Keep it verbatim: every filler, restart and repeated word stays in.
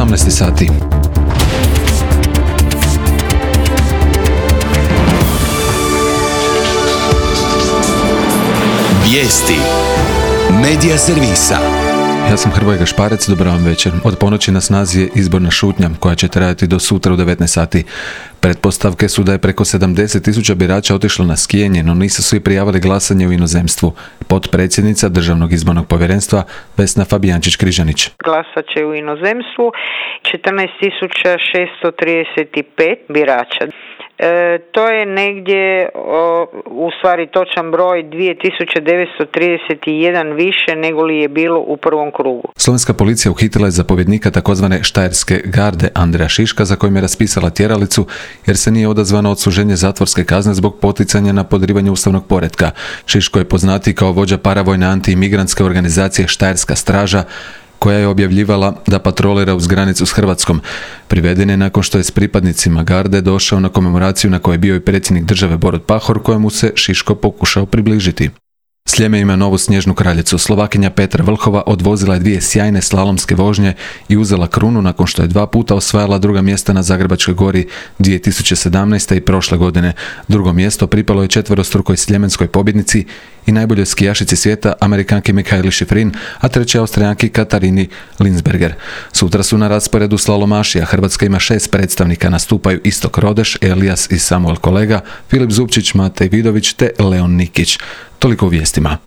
osamnaest sati. Vijesti Medija servisa. Ja sam Hrvoje Gašparec, dobar vam večer. Od ponoći na snazi je izborna šutnja koja će trajati do sutra u devetnaest sati. Pretpostavke su da je preko sedamdeset tisuća birača otišlo na skijanje, no nisu svi prijavili glasanje u inozemstvu. Potpredsjednica Državnog izbornog povjerenstva Vesna Fabijančić-Križanić. Glasat će u inozemstvu četrnaest tisuća šesto trideset pet birača. E, to je negdje, o, u stvari točan broj, dvije tisuće devetsto trideset jedan više nego li je bilo u prvom krugu. Slovenska policija uhitila je zapovjednika takozvane Štajerske garde Andreja Šiška, za kojim je raspisala tjeralicu jer se nije odazvano odsluženje zatvorske kazne zbog poticanja na podrivanje ustavnog poretka. Šiško je poznatiji kao vođa paravojne antiimigrantske organizacije Štajerska straža, koja je objavljivala da patrolira uz granicu s Hrvatskom. Priveden je nakon što je s pripadnicima garde došao na komemoraciju na kojoj je bio i predsjednik države Borut Pahor, kojemu se Šiško pokušao približiti. Sljeme ima novu snježnu kraljicu. Slovakinja Petra Vlhova odvozila je dvije sjajne slalomske vožnje i uzela krunu nakon što je dva puta osvajala druga mjesta na Zagrebačkoj gori dvije tisuće sedamnaeste. i prošle godine. Drugo mjesto pripalo je četverostrukoj sljemenskoj pobjednici i najboljoj skijašici svijeta, Amerikanki Mikaeli Šifrin, a treće Austrijanki Katarini Linsberger. Sutra su na rasporedu slalomaši, a Hrvatska ima šest predstavnika, nastupaju Istok Rodeš, Elijas i Samuel Kolega, Filip Zupčić, Matej Vidović te Leon Nikić. Toliko u vijestima.